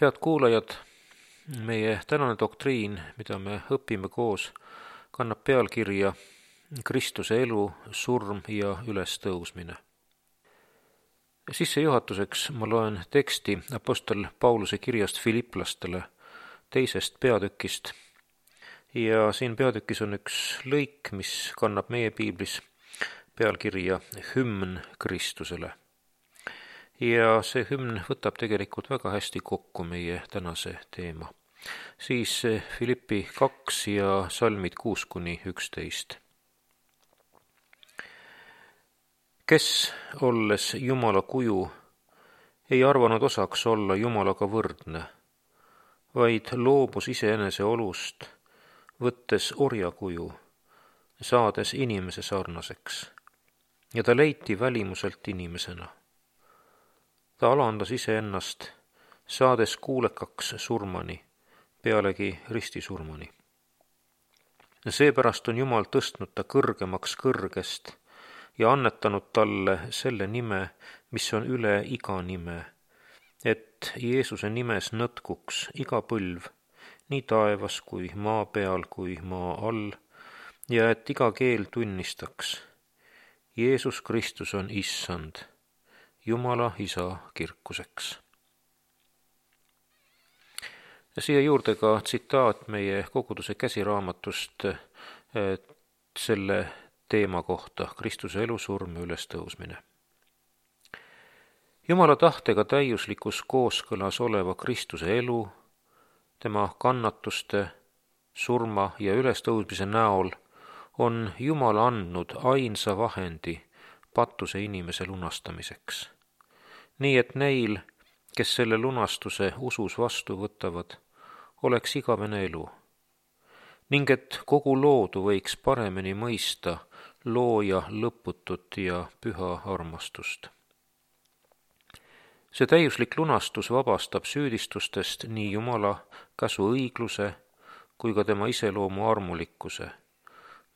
Head kuulajad, meie tänane doktriin, mida me õpime koos, kannab pealkirja Kristuse elu, surm ja ülestõusmine. Sissejuhatuseks ma loen teksti apostel Pauluse kirjast Filiplastele 2. peatükist. Ja siin peatükis on üks lõik, mis kannab meie piiblis pealkirja Hümn Kristusele. Ja see hümn võtab tegelikult väga hästi kokku meie tänase teema. Siis Filippi 2 ja salmid 6-11. Kes, olles Jumala kuju, ei arvanud osaks olla Jumalaga võrdne, vaid loobus iseenese olust, võttes orjakuju, saades inimese sarnaseks, ja ta leiti välimuselt inimesena. Ta alandas iseennast, saades kuulekaks surmani, pealegi ristisurmani. Seepärast on Jumal tõstnud ta kõrgemaks kõrgest ja annetanud talle selle nime, mis on üle iga nime, et Jeesuse nimes nõtkuks iga põlv, nii taevas kui maa peal kui maa all, ja et iga keel tunnistaks, Jeesus Kristus on Issand, Jumala Isa kirkuseks. Ja siia juurde ka tsitaat meie koguduse käsiraamatust selle teema kohta, Kristuse elu, surm ja ülestõusmine. Jumala tahtega täiuslikus kooskõlas oleva Kristuse elu, tema kannatuste, surma ja ülestõusmise näol on Jumal andnud ainsa vahendi patuse inimese lunastamiseks. Nii et neil, kes selle lunastuse usus vastu võtavad, oleks igavene elu, ning et kogu loodu võiks paremini mõista looja lõputut ja püha armastust. See täiuslik lunastus vabastab süüdistustest nii Jumala käsu õigluse kui ka tema iseloomu armulikkuse,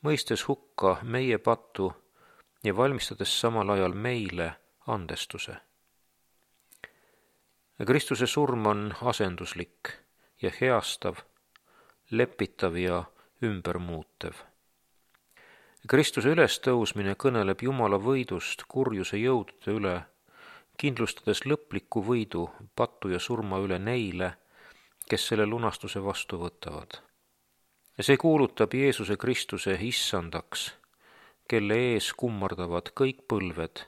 mõistes hukka meie pattu ja valmistades samal ajal meile andestuse. Kristuse surm on asenduslik ja heastav, lepitav ja ümbermuutev. Kristuse ülestõusmine kõneleb Jumala võidust kurjuse jõudude üle, kindlustades lõpliku võidu pattu ja surma üle neile, kes selle lunastuse vastu võtavad. Ja see kuulutab Jeesuse Kristuse issandaks, kelle ees kummardavad kõik põlved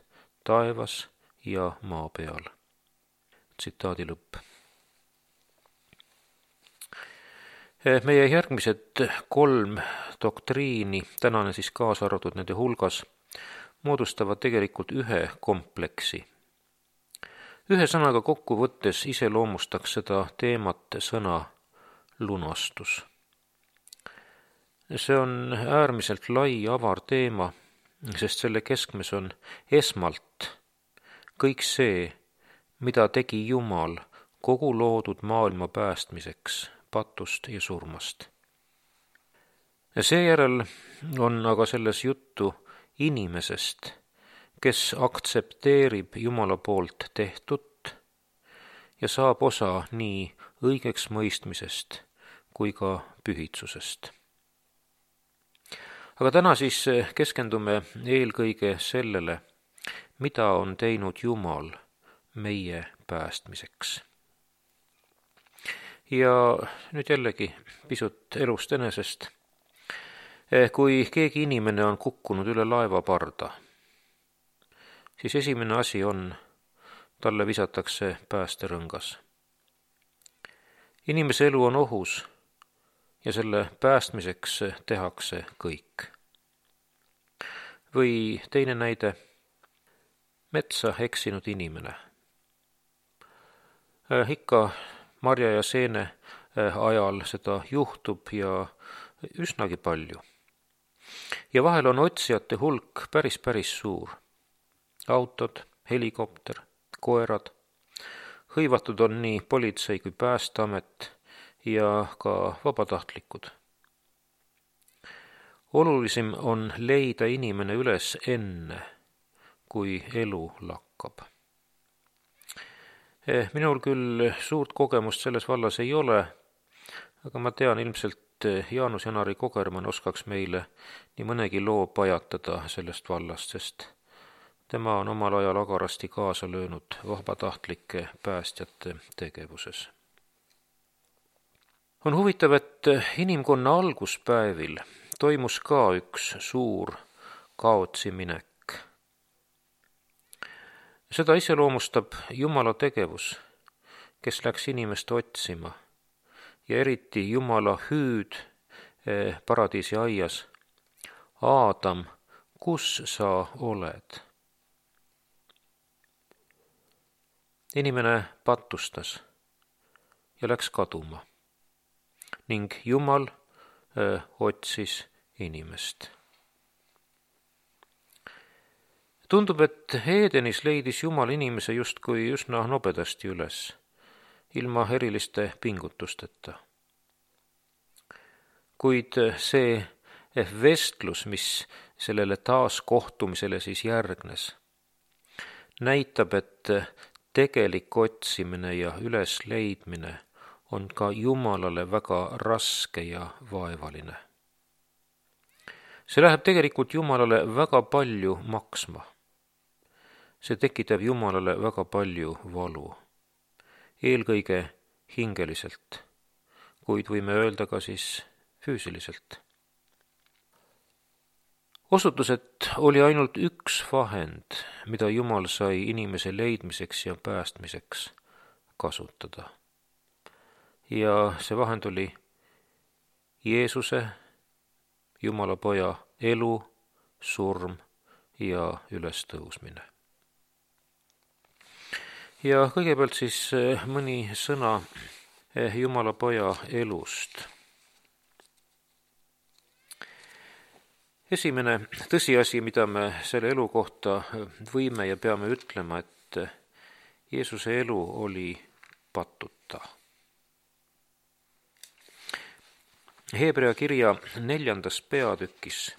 taevas ja maa peal. Tsitaadi lõpp. Meie järgmised 3 doktriini, tänane siis kaasa arvatud nende hulgas, moodustavad tegelikult ühe kompleksi. Ühe sõnaga kokku võttes iseloomustaks seda teemat sõna lunastus. See on äärmiselt lai avar teema, sest selle keskmes on esmalt kõik see, mida tegi Jumal kogu loodud maailma päästmiseks patust ja surmast. Seejärel on aga selles juttu inimesest, kes aktsepteerib Jumala poolt tehtut ja saab osa nii õigeks mõistmisest kui ka pühitsusest. Aga täna siis keskendume eelkõige sellele, mida on teinud Jumal meie päästmiseks. Ja nüüd jällegi pisut elust enesest. Kui keegi inimene on kukkunud üle laevaparda, siis esimene asi on, talle visatakse päästerõngas. Inimese elu on ohus ja selle päästmiseks tehakse kõik. Või teine näide, metsa eksinud inimene. Ikka marja ja seene ajal seda juhtub ja üsnagi palju. Ja vahel on otsijate hulk päris suur. Autod, helikopter, koerad. Hõivatud on nii politsei kui Päästeamet ja ka vabatahtlikud. Olulisim on leida inimene üles enne, kui elu lakkab. Minul küll suurt kogemust selles vallas ei ole, aga ma tean, ilmselt Jaanus Janari Kogermann oskaks meile nii mõnegi loo pajatada sellest vallast, sest tema on omal ajal agarasti kaasa löönud vabatahtlike päästjate tegevuses. On huvitav, et inimkonna alguspäevil toimus ka üks suur kaotsi minek. Seda iseloomustab Jumala tegevus, kes läks inimest otsima ja eriti Jumala hüüd paradiisi aias. Aadam, kus sa oled? Inimene pattustas ja läks kaduma ning Jumal otsis inimest. Tundub, et Edenis leidis Jumal inimese justkui üsna nobedasti üles, ilma eriliste pingutusteta. Kuid see vestlus, mis sellele taaskohtumisele siis järgnes, näitab, et tegelik otsimine ja ülesleidmine on ka Jumalale väga raske ja vaevaline. See läheb tegelikult Jumalale väga palju maksma. See tekitab Jumalale väga palju valu, eelkõige hingeliselt, kuid võime öelda ka siis füüsiliselt. Osutus, et oli ainult üks vahend, mida Jumal sai inimese leidmiseks ja päästmiseks kasutada. Ja see vahend oli Jeesuse, Jumala poja elu, surm ja ülestõusmine. Ja kõigepealt siis mõni sõna Jumala poja elust. Esimene tõsiasi, mida me selle elu kohta võime ja peame ütlema, et Jeesuse elu oli patuta. Hebrea kirja 4. peatükis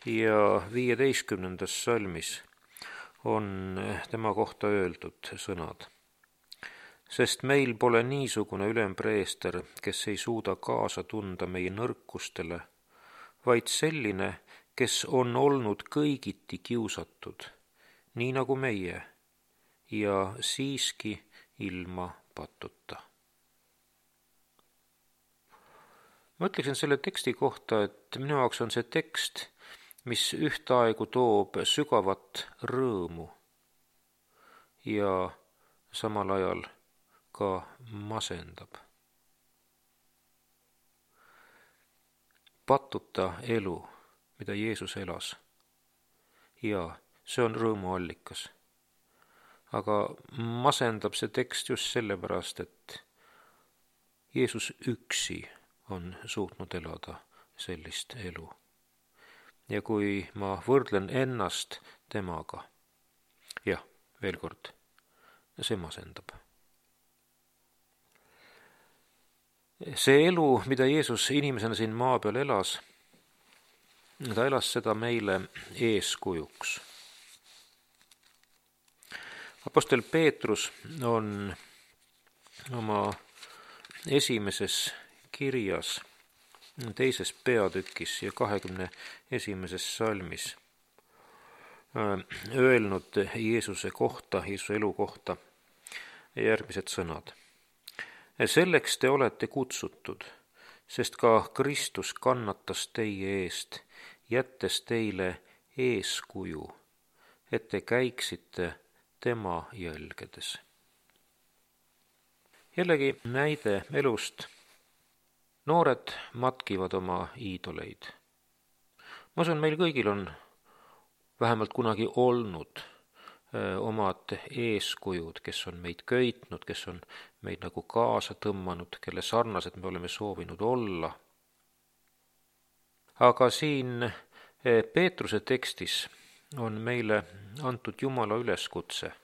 ja 15. salmis on tema kohta öeldud sõnad. Sest meil pole niisugune ülempreester, kes ei suuda kaasa tunda meie nõrkustele, vaid selline, kes on olnud kõigiti kiusatud, nii nagu meie, ja siiski ilma patuta. Ma ütleksin selle teksti kohta, et minu jaoks on see tekst, mis ühtaegu toob sügavat rõõmu ja samal ajal ka masendab. Patuta elu, mida Jeesus elas, ja see on rõõmuallikas. Aga masendab see tekst just sellepärast, et Jeesus üksi on suutnud elada sellist elu. Ja kui ma võrdlen ennast temaga, jah, veel kord, see masendab. See elu, mida Jeesus inimesena siin maa peal elas, ta elas seda meile eeskujuks. Apostel Peetrus on oma esimeses kirjas 2. peatükis ja 21. salmis öelnud Jeesuse kohta, Jeesuse elu kohta järgmised sõnad. Selleks te olete kutsutud, sest ka Kristus kannatas teie eest, jättes teile eeskuju, et te käiksite tema jälgedes. Jällegi näide elust. Noored matkivad oma iidoleid. Ma usun, meil kõigil on vähemalt kunagi olnud omad eeskujud, kes on meid köitnud, kes on meid nagu kaasa tõmmanud, kelle sarnased me oleme soovinud olla. Aga siin Peetruse tekstis on meile antud Jumala üleskutse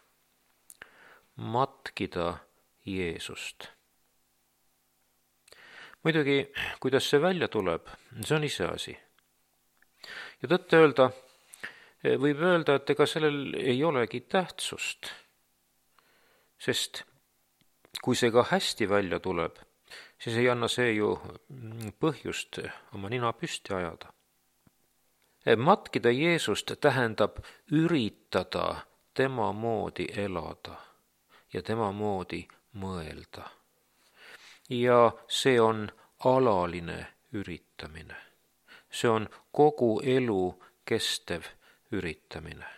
matkida Jeesust. Muidugi, kuidas see välja tuleb, see on iseasi. Ja tõtt öelda, võib öelda, et ega sellel ei olegi tähtsust, Sest kui see ka hästi välja tuleb, siis ei anna see ju põhjust oma nina püsti ajada. Matkida Jeesust tähendab üritada tema moodi elada ja tema moodi mõelda. Ja see on alaline üritamine. See on kogu elu kestev üritamine.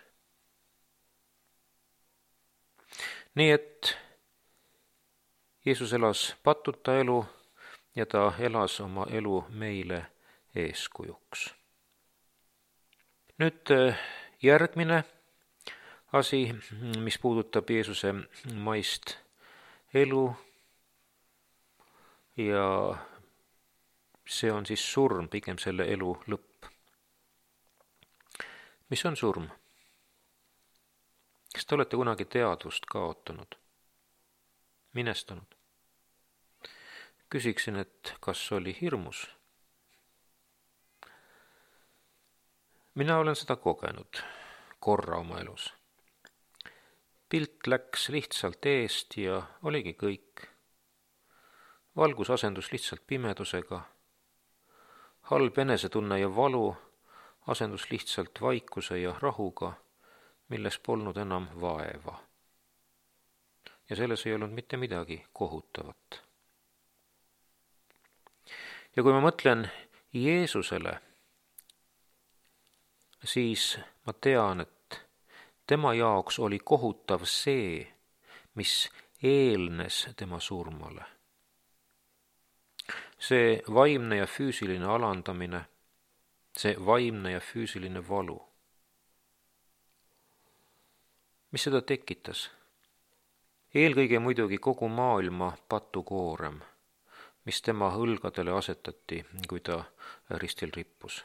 Nii et Jeesus elas patuta elu ja ta elas oma elu meile eeskujuks. Nüüd järgmine asi, mis puudutab Jeesuse maist elu ja see on siis surm, pigem selle elu lõpp. Mis on surm? Kas te olete kunagi teadvust kaotanud? Minestanud? Küsiksin, et kas oli hirmus? Mina olen seda kogenud korra oma elus. Pilt läks lihtsalt eest ja oligi kõik. Valgus asendus lihtsalt pimedusega. Halb enesetunne ja valu asendus lihtsalt vaikuse ja rahuga, milles polnud enam vaeva. Ja selles ei olnud mitte midagi kohutavat. Ja kui ma mõtlen Jeesusele, siis ma tean, et tema jaoks oli kohutav see, mis eelnes tema surmale. See vaimne ja füüsiline alandamine, see vaimne ja füüsiline valu. Mis seda tekitas? Eelkõige muidugi kogu maailma patukoorem, mis tema õlgadele asetati, kui ta ristil rippus.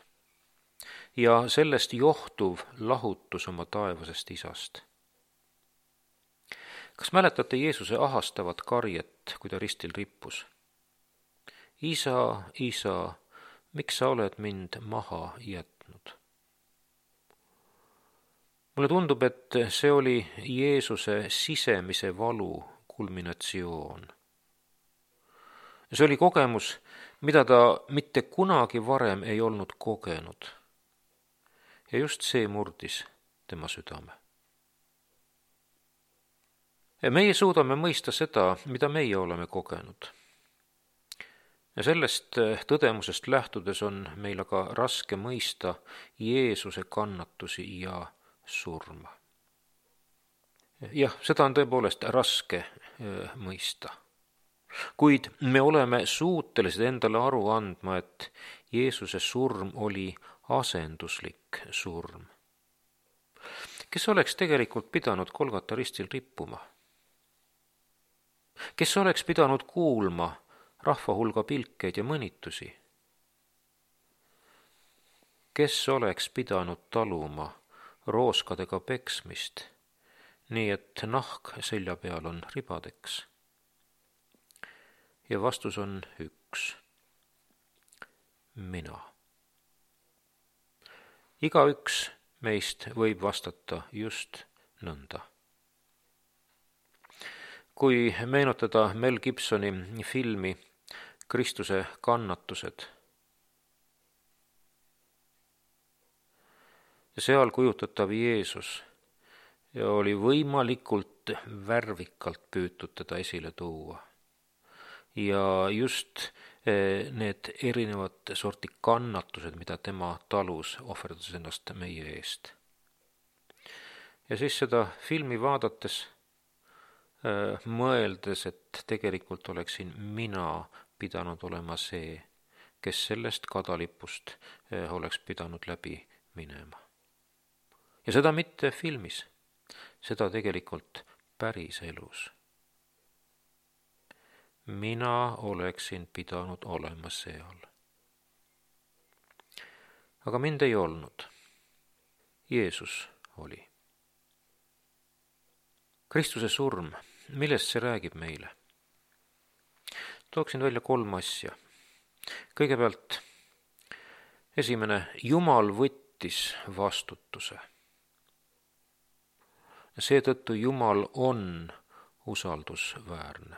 Ja sellest johtuv lahutus oma taevasest isast. Kas mäletate Jeesuse ahastavat karjet, kui ta ristil rippus? Isa, isa, miks sa oled mind maha jätnud? Mulle tundub, et see oli Jeesuse sisemise valu kulminatsioon. See oli kogemus, mida ta mitte kunagi varem ei olnud kogenud. Ja just see murdis tema südame. Meie suudame mõista seda, mida meie oleme kogenud. Ja sellest tõdemusest lähtudes on meil aga raske mõista Jeesuse kannatusi ja surma. Jah, seda on tõepoolest raske mõista. Kuid me oleme suutelised endale aru andma, et Jeesuse surm oli asenduslik surm. Kes oleks tegelikult pidanud Golgata ristil rippuma? Kes oleks pidanud kuulma rahva hulga pilkeid ja mõnitusi? Kes oleks pidanud taluma rooskadega peksmist, nii et nahk selja peal on ribadeks? Ja vastus on üks. Mina. Igaüks meist võib vastata just nõnda. Kui meenutada Mel Gibsoni filmi Kristuse kannatused, ja seal kujutatav Jeesus ja oli võimalikult värvikalt püütud teda esile tuua. Ja just need erinevad sorti kannatused, mida tema talus, ohverdades ennast meie eest. Ja siis seda filmi vaadates, mõeldes, et tegelikult oleksin mina pidanud olema see, kes sellest kadalipust oleks pidanud läbi minema. Ja seda mitte filmis, seda tegelikult päris elus. Mina oleksin pidanud olema seal. Aga mind ei olnud. Jeesus oli. Kristuse surm, millest see räägib meile? Tooksin välja 3 asja. Kõigepealt, esimene, Jumal võttis vastutuse. Seetõttu Jumal on usaldusväärne.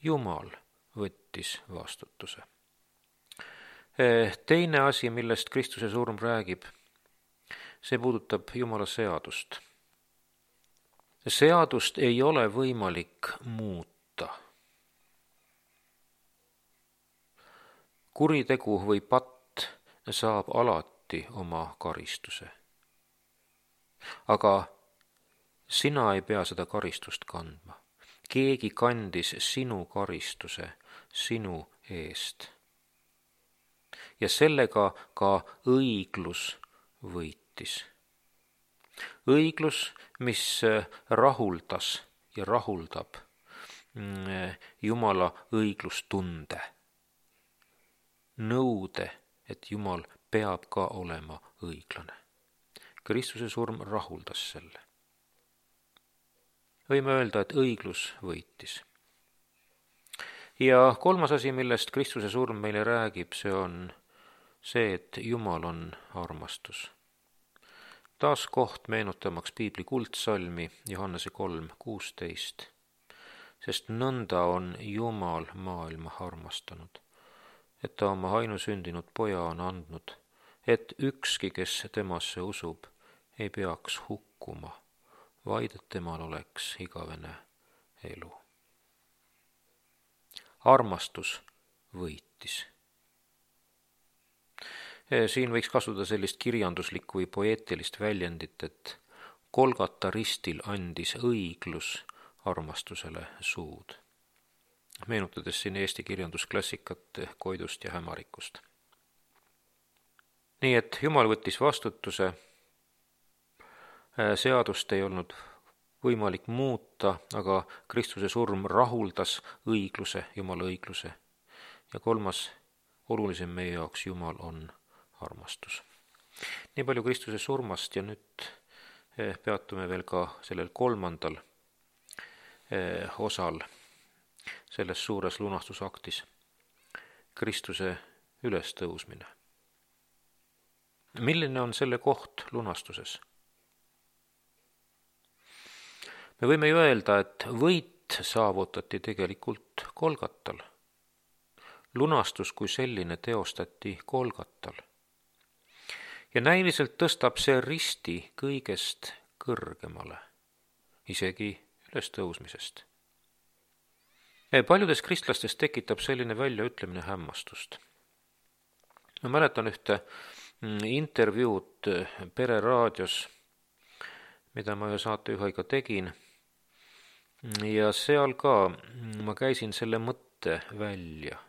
Jumal võttis vastutuse. Teine asi, millest Kristuse surm räägib, see puudutab Jumala seadust. Seadust ei ole võimalik muuta. Kuritegu või patt saab alati oma karistuse. Aga sina ei pea seda karistust kandma. Keegi kandis sinu karistuse sinu eest. Ja sellega ka õiglus võitis. Õiglus, mis rahuldas ja rahuldab Jumala õiglustunde. Nõude, et Jumal peab ka olema õiglane. Kristuse surm rahuldas selle. Võime öelda, et õiglus võitis. Ja kolmas asi, millest Kristuse surm meile räägib, see on see, et Jumal on armastus. Taas koht meenutamaks piibli kuldsalmi Johannese 3:16. Sest nõnda on Jumal maailma armastanud, et ta oma ainusündinud poja on andnud, et ükski, kes temasse usub, ei peaks hukkuma, vaid et temal oleks igavene elu. Armastus võitis. Siin võiks kasutada sellist kirjanduslikku või poeetilist väljendit, et Golgata ristil andis õiglus armastusele suud. Meenutades siin eesti kirjandusklassikat Koidust ja Hämarikust. Nii et Jumal võttis vastutuse, seadust ei olnud võimalik muuta, aga Kristuse surm rahuldas õigluse, Jumala õigluse. Ja kolmas, olulisem meie jaoks, Jumal on armastus. Nii palju Kristuse surmast ja nüüd peatume veel ka sellel kolmandal osal selles suures lunastusaktis. Kristuse ülestõusmine. Milline on selle koht lunastuses? Me võime ju öelda, et võit saavutati tegelikult Golgatal. Lunastus kui selline teostati Golgatal. Ja näiliselt tõstab see risti kõigest kõrgemale, isegi ülestõusmisest. Paljudes kristlastes tekitab selline väljaütlemine hämmastust. Ma mäletan ühte intervjuud Pereraadios, mida ma ühe saatejuhiga tegin, ja seal ka ma käisin selle mõtte välja.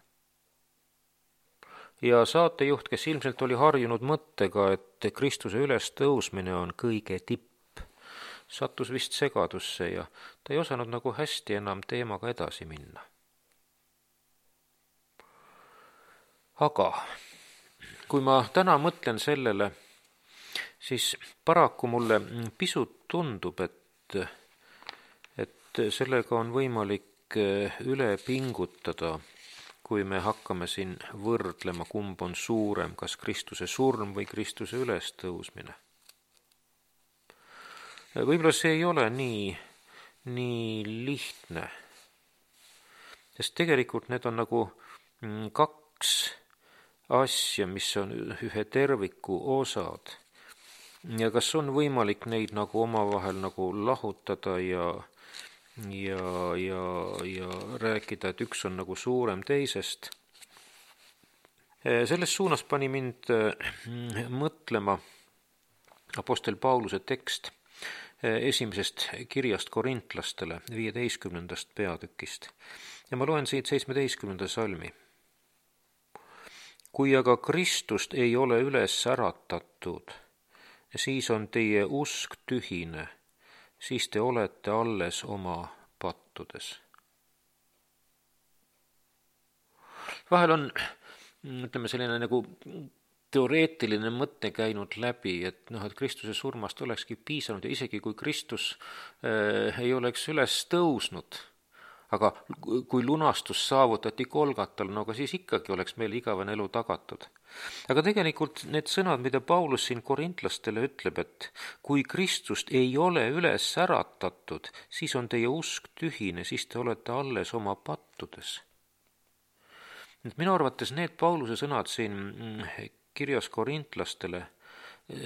Ja saatejuht, kes ilmselt oli harjunud mõttega, et Kristuse ülestõusmine on kõige tipp, sattus vist segadusse ja ta ei osanud nagu hästi enam teemaga edasi minna. Aga kui ma täna mõtlen sellele, siis paraku mulle pisut tundub, et sellega on võimalik üle pingutada, kui me hakkame siin võrdlema, kumb on suurem, kas Kristuse surm või Kristuse ülestõusmine. Võib-olla see ei ole nii lihtne, sest tegelikult need on nagu kaks asja, mis on ühe terviku osad. Ja kas on võimalik neid nagu omavahel nagu lahutada ja rääkida, et üks on nagu suurem teisest. Selles suunas pani mind mõtlema apostel Pauluse tekst esimesest kirjast korintlastele 15. peatükist. Ja ma loen siit 17. salmi. Kui aga Kristust ei ole üles äratatud, siis on teie usk tühine, siis te olete alles oma pattudes. Vahel on, ütleme, selline nagu teoreetiline mõte käinud läbi, et Kristuse surmast olekski piisanud ja isegi kui Kristus ei oleks üles tõusnud, Aga kui lunastus saavutati Golgatal, no aga siis ikkagi oleks meil igavene elu tagatud. Aga tegelikult need sõnad, mida Paulus siin korintlastele ütleb, et kui Kristust ei ole üles äratatud, siis on teie usk tühine, siis te olete alles oma pattudes. Minu arvates need Pauluse sõnad siin kirjas korintlastele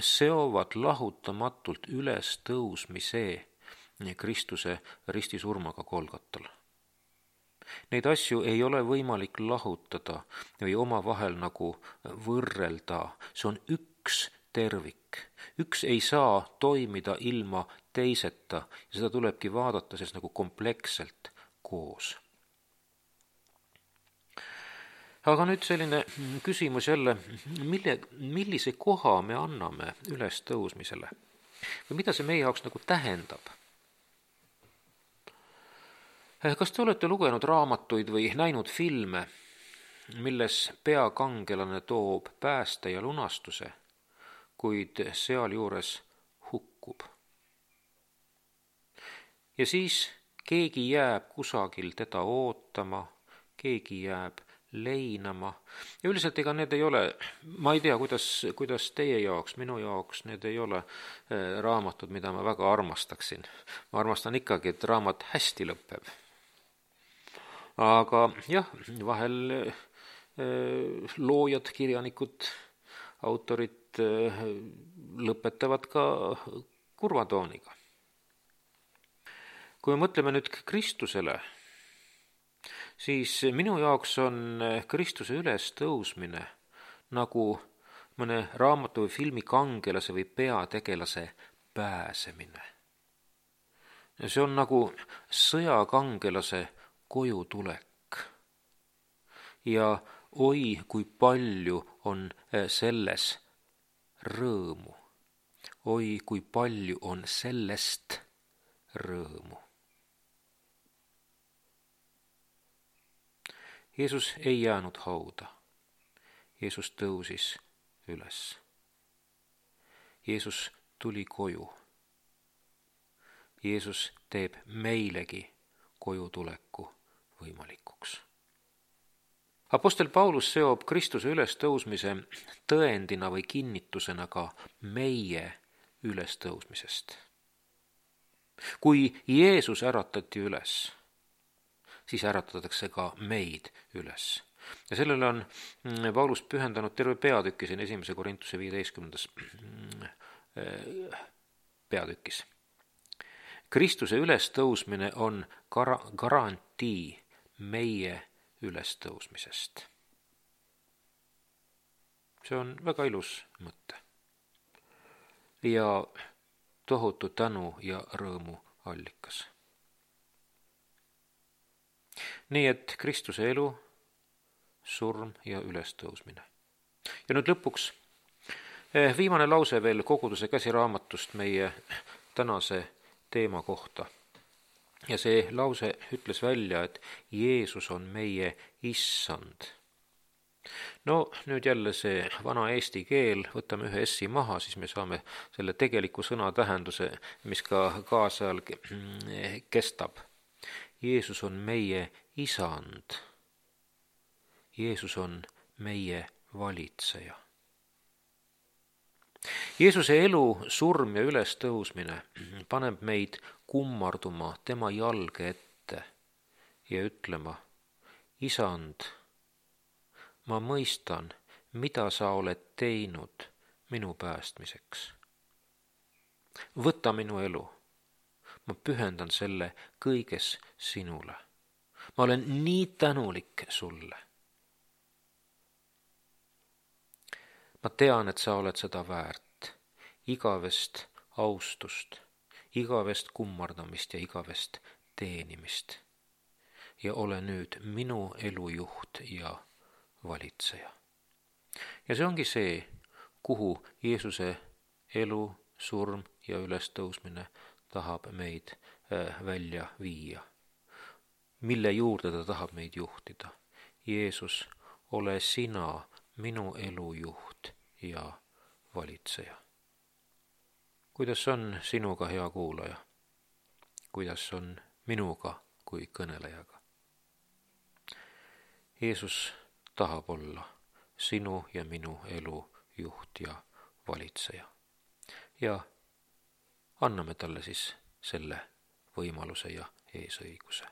seovad lahutamatult üles tõusmise Kristuse ristisurmaga Golgatal. Neid asju ei ole võimalik lahutada või omavahel nagu võrrelda. See on üks tervik. Üks ei saa toimida ilma teiseta ja seda tulebki vaadata siis nagu kompleksselt koos. Aga nüüd selline küsimus jälle, millise koha me anname üles tõusmisele? Või mida see meie jaoks nagu tähendab? Kas te olete lugenud raamatuid või näinud filme, milles peakangelane toob pääste ja lunastuse, kuid sealjuures hukkub? Ja siis keegi jääb kusagil teda ootama, keegi jääb leinama ja üldiselt ega need ei ole, ma ei tea, kuidas teie jaoks, minu jaoks need ei ole raamatud, mida ma väga armastaksin. Ma armastan ikkagi, et raamat hästi lõpeb. Aga jah, vahel loojad, kirjanikud, autorid lõpetavad ka kurva tooniga. Kui me mõtleme nüüd Kristusele, siis minu jaoks on Kristuse ülestõusmine nagu mõne raamatu või filmi kangelase või peategelase pääsemine. See on nagu sõjakangelase koju tulek. Ja oi, kui palju on selles rõõmu. Oi, kui palju on sellest rõõmu. Jeesus ei jäänud hauda. Jeesus tõusis üles. Jeesus tuli koju. Jeesus teeb meilegi koju tuleku võimalikuks. Apostel Paulus seob Kristuse ülestõusmise tõendina või kinnitusena ka meie ülestõusmisest. Kui Jeesus äratati üles, siis äratatakse ka meid üles. Ja sellele on Paulus pühendanud terve peatükki siin 1. Korintuse 15. peatükis. Kristuse ülestõusmine on garantii meie ülestõusmisest. See on väga ilus mõte. Ja tohutu tänu ja rõõmu allikas. Nii et Kristuse elu, surm ja ülestõusmine. Ja nüüd lõpuks viimane lause veel koguduse käsiraamatust meie tänase teema kohta. Ja see lause ütles välja, et Jeesus on meie issand. No nüüd jälle see vana eesti keel, võtame ühe essi maha, siis me saame selle tegeliku sõna tähenduse, mis ka kaasajal kestab. Jeesus on meie isand. Jeesus on meie valitseja. Jeesuse elu, surm ja ülestõusmine paneb meid kummarduma tema jalge ette ja ütlema, isand, ma mõistan, mida sa oled teinud minu päästmiseks. Võta minu elu, ma pühendan selle kõiges sinule. Ma olen nii tänulik sulle. Ma tean, et sa oled seda väärt, igavest austust, igavest kummardamist ja igavest teenimist. Ja ole nüüd minu elujuht ja valitseja. Ja see ongi see, kuhu Jeesuse elu, surm ja ülestõusmine tahab meid välja viia. Mille juurde ta tahab meid juhtida? Jeesus, ole sina minu elujuht ja valitseja. Kuidas on sinuga, hea kuulaja? Kuidas on minuga, kui kõnelejaga. Jeesus tahab olla sinu ja minu elu juht ja valitseja. Ja anname talle siis selle võimaluse ja eesõiguse.